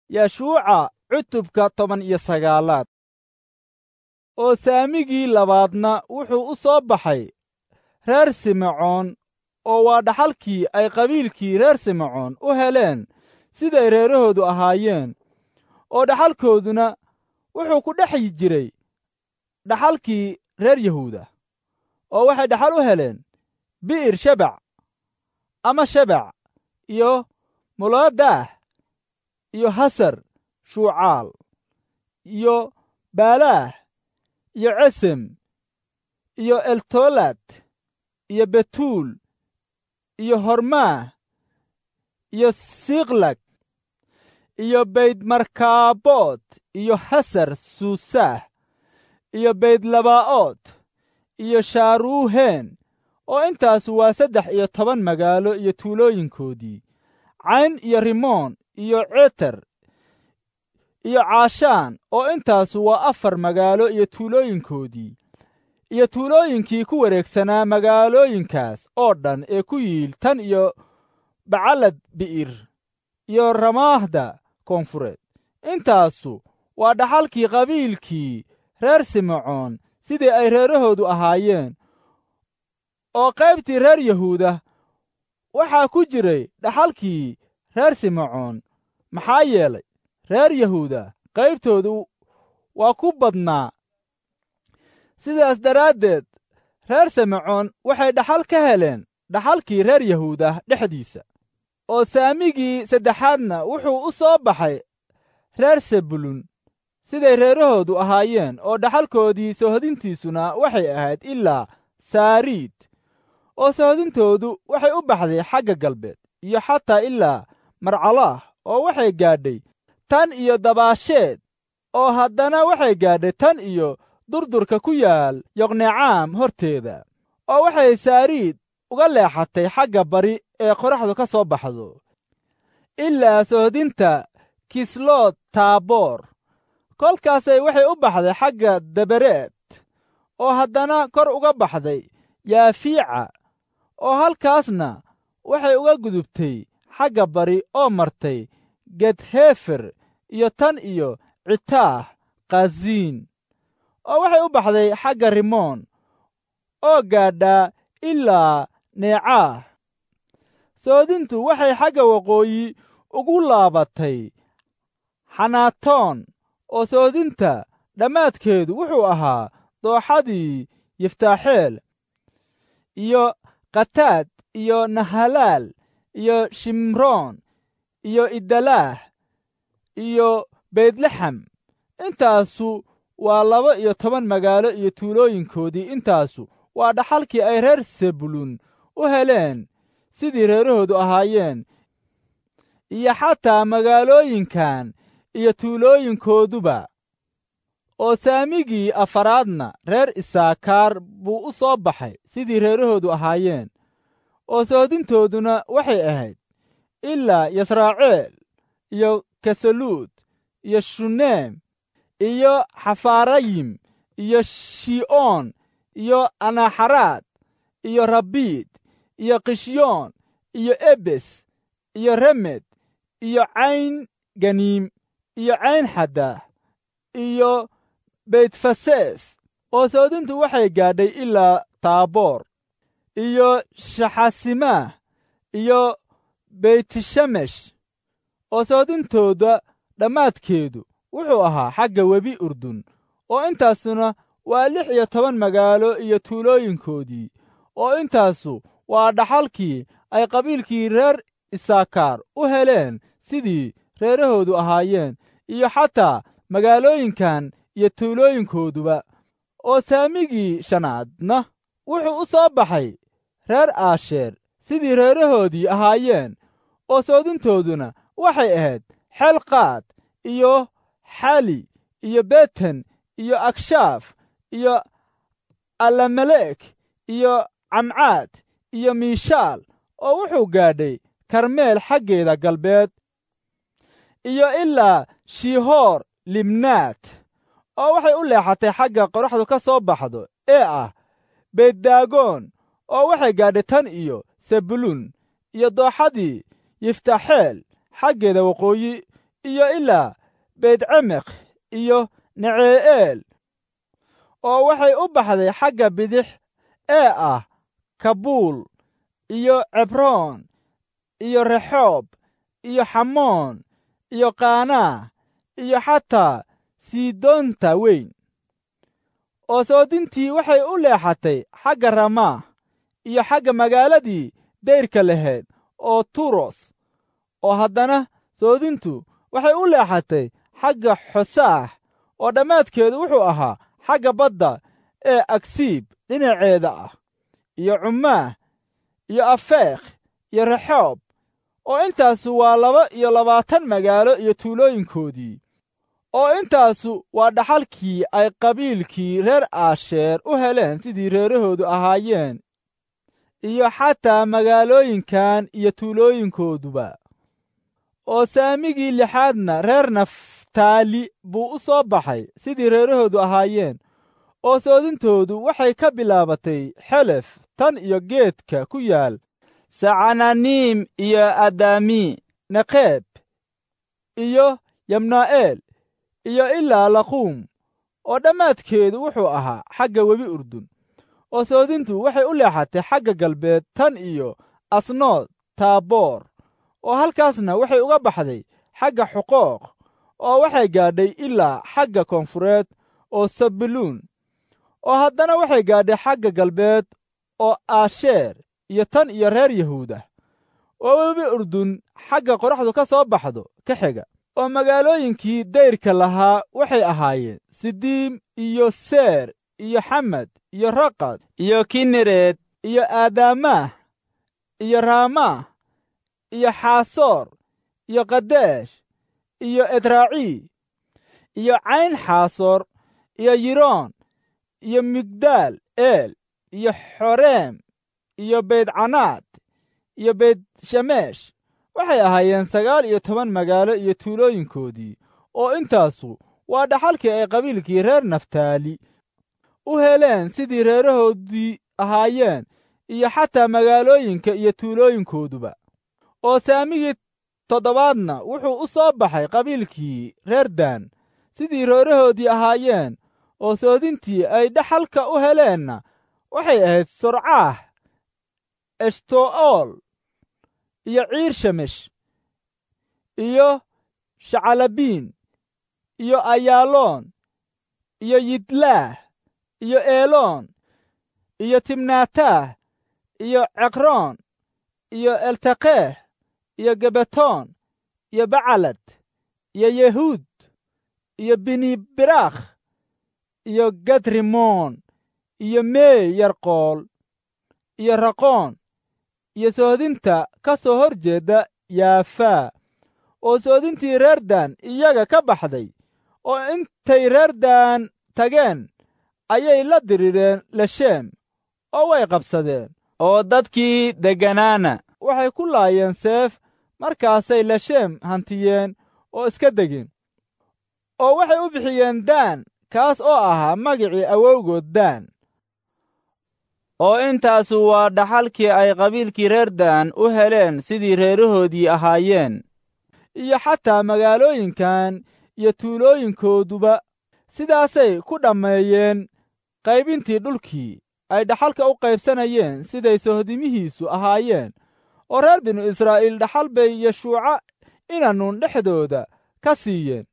Yeshuuca cutubka 19aad. Oo saamigii labaadna wuxuu u soo baxay reer Simecoon, oo waa dhaxalkii ay qabiilkii reer Simecoon u heleen siday reerahoodu ahaayeen, oo dhaxalkooduna wuxuu ku dhex jiray dhaxalkii reer Yahuuda, oo waxay dhaxal u heleen Bi'ir Shebac ama Shebac iyo Molaadaah iyo Hasar Shuucaal iyo Baalaah iyo Cesem iyo Eltolaad iyo Betuul iyo Hormaah iyo Siiklag iyo Baydmarkaabood iyo Hasar Suusaah iyo Baydlabaa'ood iyo Shaaruuheen, oo intaasu waa 13 magaalo iyo tuulooyinkoodii, Cayn iyo Rimoon iyo Ceter iyo Caashaan, oo intaasu waa 4 magaalo iyo tuulooyinkoodii, iyo tuulooyinkii ku wareegsanaa magaalooyinkaas oo dhan ee ku yiil tan iyo Bacalad Bi'ir iyo Ramaahda koonfureed. Intaasu waa dhaxalkii qabiilkii reer Simecoon sidii ay reerahoodu ahaayeen. Oo qaybtii reer Yahuuda waxaa ku jiray dhaxalkii reer Simecoon, maxaa yeelay reer Yahuuda qaybtoodu waa ku badnaa. Sidaas daraaddeed reer Simecoon waxay dhaxal ka heleen dhaxalkii reer Yahuuda dhexdiisa. Oo saamigii saddexaadna wuxuu u soo baxay reer Sebulun siday reerahoodu ahaayeen, oo dhaxalkoodii soohodintiisuna waxay ahayd ilaa Saariid, oo soohodintoodu waxay u baxday xagga galbeed iyo xataa ilaa Marcalaah, oo waxay gaadhay tan iyo Dabaasheed, oo haddana waxay gaadhay tan iyo durdurka ku yaal Yoqnecaam horteeda, oo waxay Saariid uga leexatay xagga bari ee qoraxdu ka soo baxdo ilaa soohodinta Kislood Taaboor. Kolkaasay waxay u baxday xagga Dabereed, oo haddana kor uga baxday Yaafiica, oo halkaasna waxay uga gudubtay xagga bari oo martay Gedhefer iyo tan iyo Citaah Khaziin, oo waxay u baxday xagga Rimoon oo gaadhaa ilaa Neecaah. Soodintu waxay xagga waqooyi ugu laabatay Xanaatoon, oo soodinta dhammaadkeedu wuxuu ahaa dooxadii Yiftaaxeel iyo Khataad iyo Nahalaal iyo Shimroon iyo Idalaah iyo Beytlaxam. Intaasu waa 12 magaalo iyo tuulooyinkoodii. Intaasu waa dhaxalkii ay reer Sebulun u heleen sidii reerahoodu ahaayeen, iyo xataa magaalooyinkan iyo tuulooyinkooduba. Oo saamigii afaraadna reer Isaakaar buu u soo baxay sidii reerahoodu ahaayeen, oo soodintooduna waxay ahayd ilaa Yasraaciil iyo Kesaluud iyo Shuneem iyo Xafaarayim iyo Shi'oon iyo Anaxaraad iyo Rabiid iyo Qishyoon iyo Ebes iyo Remed iyo Cayn Ganiim iyo Cayn Xadaah iyo Beytfasees. Oo soodintu waxay gaadhay ilaa Taaboor iyo Shaxasimaah iyo Beytshamesh, oo soodintooda dhammaadkeedu wuxuu ahaa xagga webi Urdun. Oo intaasuna waa 16 magaalo iyo tuulooyinkoodii. Oo intaasu waa dhaxalkii ay qabiilkii reer Isaakaar u heleen sidii reerahoodu ahaayeen, iyo xataa magaalooyinkan iyo tuulooyinkooduba. Oo saamigii shanaadna wuxuu u soo baxay reer Aasheer sidii reerahoodii ahaayeen, oo soodintooduna waxay ahayd Xelqaad iyo Xali iyo Beten iyo Agshaaf iyo Alamelek iyo Camcaad iyo Miishaal, oo wuxuu gaadhay Karmeel xaggeeda galbeed iyo ilaa Shiihoor Libnaad, oo waxay u leexatay xagga qoraxdu ka soo baxdo ee ah Beddaagoon, oo waxay gaadhay tan iyo Sebulun iyo dooxadii Yiftaxeel xaggeeda waqooyi. iyo ilaa Beytcemeq iyo Necee'eel, oo waxay u baxday xagga bidix ee ah Kabuul iyo Cebroon iyo Rexoob iyo Xamoon iyo Qaanaa iyo xataa Sidoonta weyn. Oo soodintii waxay u leexatay xagga Ramaah iyo xagga magaaladii dayrka lahayd oo Turos, oo haddana soodintu waxay u leexatay xagga Xosaah, oo dhammaadkeedu wuxuu ahaa xagga badda ee Agsiib dhinaceeda ah, iyo Cumaah iyo Afeekh iyo Rexoob, oo intaasu waa 22 magaalo iyo tuulooyinkoodii. Oo intaasu waa dhaxalkii ay qabiilkii reer Aasheer u heleen sidii reerahoodu ahaayeen, iyo xataa magaalooyinkan iyo tuulooyinkooduba. Oo saamigii lixaadna reer Naftaali buu u soo baxay sidii reerahoodu ahaayeen, oo soodintoodu waxay ka bilaabatay Xelef tan iyo geedka ku yaal Sacananiim iyo Adami Neqeeb iyo Yamnaa'eel iyo ilaa Laquum, oo dhammaadkeedu wuxuu ahaa xagga webi Urdun. Oo soodintu waxay u leexatay xagga galbeed tan iyo Asnood Taaboor, oo halkaasna waxay uga baxday xagga Xuqooq, oo waxay gaadhay ilaa xagga koonfureed oo Sabiluun, oo haddana waxay gaadhay xagga galbeed oo Aasheer iyo tan iyo reer Yahuuda, oo webi Urdun xagga qoraxdu ka soo baxdo ka xiga. Oo magaalooyinkii dayrka lahaa waxay ahaayeen Sidiim iyo Seer iyo Xamad iyo Raqad iyo Kinereed iyo Aadaamaah iyo Raamaah iyo Xaasoor iyo Kadeesh iyo Edraaci iyo Cayn Xaasoor iyo Yiroon iyo Migdaal Eel iyo Xoreem iyo Beydcanaad iyo Beyt Shemesh. Waxay ahaayeen 19 magaalo iyo tuulooyinkoodii. Oo intaasu waa dhaxalkii ay qabiilkii reer Naftaali u heleen sidii reerahoodii ahaayeen, iyo xataa magaalooyinka iyo tuulooyinkooduba. Oo saamigii toddobaadna wuxuu u soo baxay qabiilkii reer Daan sidii reerahoodii ahaayeen, oo soodintii ay dhaxalka u heleenna waxay ahayd Sorcaah, Eshto'ool iyo Ciir Shemesh iyo Shacalabiin iyo Ayaaloon iyo Yidlaah iyo Eeloon iyo Timnaataah iyo Ceqroon iyo Eltaqeeh iyo Gebetoon iyo Bacalad iyo Yehuud iyo Binibiraakh iyo Gadrimoon iyo Meey Yarqool iyo Raqoon iyo soodinta ka soo hor jeedda Yaafaa. Oo soodintii reer Daan iyaga ka baxday, oo intay reer Daan tageen ayay la dirireen Lesheem, oo way qabsadeen, oo dadkii degganaana waxay ku laayeen seef. Markaasay Lesheem hantiyeen oo iska degeen, oo waxay u bixiyeen Daan, kaas oo ahaa magicii awowgood Daan. Oo intaasu waa dhaxalkii ay qabiilkii reer Daan u heleen sidii reerahoodii ahaayeen, iyo xataa magaalooyinkan iyo tuulooyinkooduba. Sidaasay ku dhammeeyeen qaybintii dhulkii ay dhaxalka u qaybsanayeen siday sohdimihiisu ahaayeen. Oo reer binu Israa'iil dhaxal bay Yeshuuca inanuun dhexdooda ka siiyeen,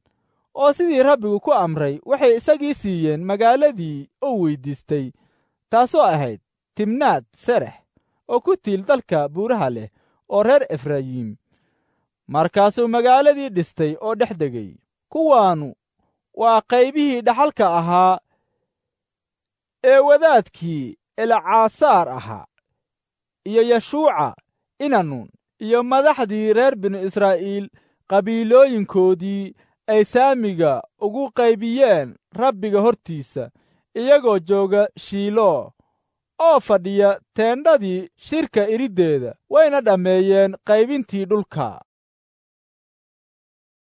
oo sidii Rabbigu ku amray waxay isagii siiyeen magaaladii uu weyddiistay, taasoo ahayd Timnaad Serex oo ku tiil dalka buuraha leh oo reer Efrayiim. Markaasuu magaaladii dhistay oo dhex degay. Kuwaanu waa qaybihii dhaxalka ahaa ee wadaadkii Elcaasaar ahaa iyo Yeshuuca inanuun iyo madaxdii reer binu Israa'iil qabiilooyinkoodii ay saamiga ugu qaybiyeen Rabbiga hortiisa, iyagoo jooga Shiilo oo fadhiya teendhadii shirka iriddeeda. Wayna dhammeeyeen qaybintii dhulka.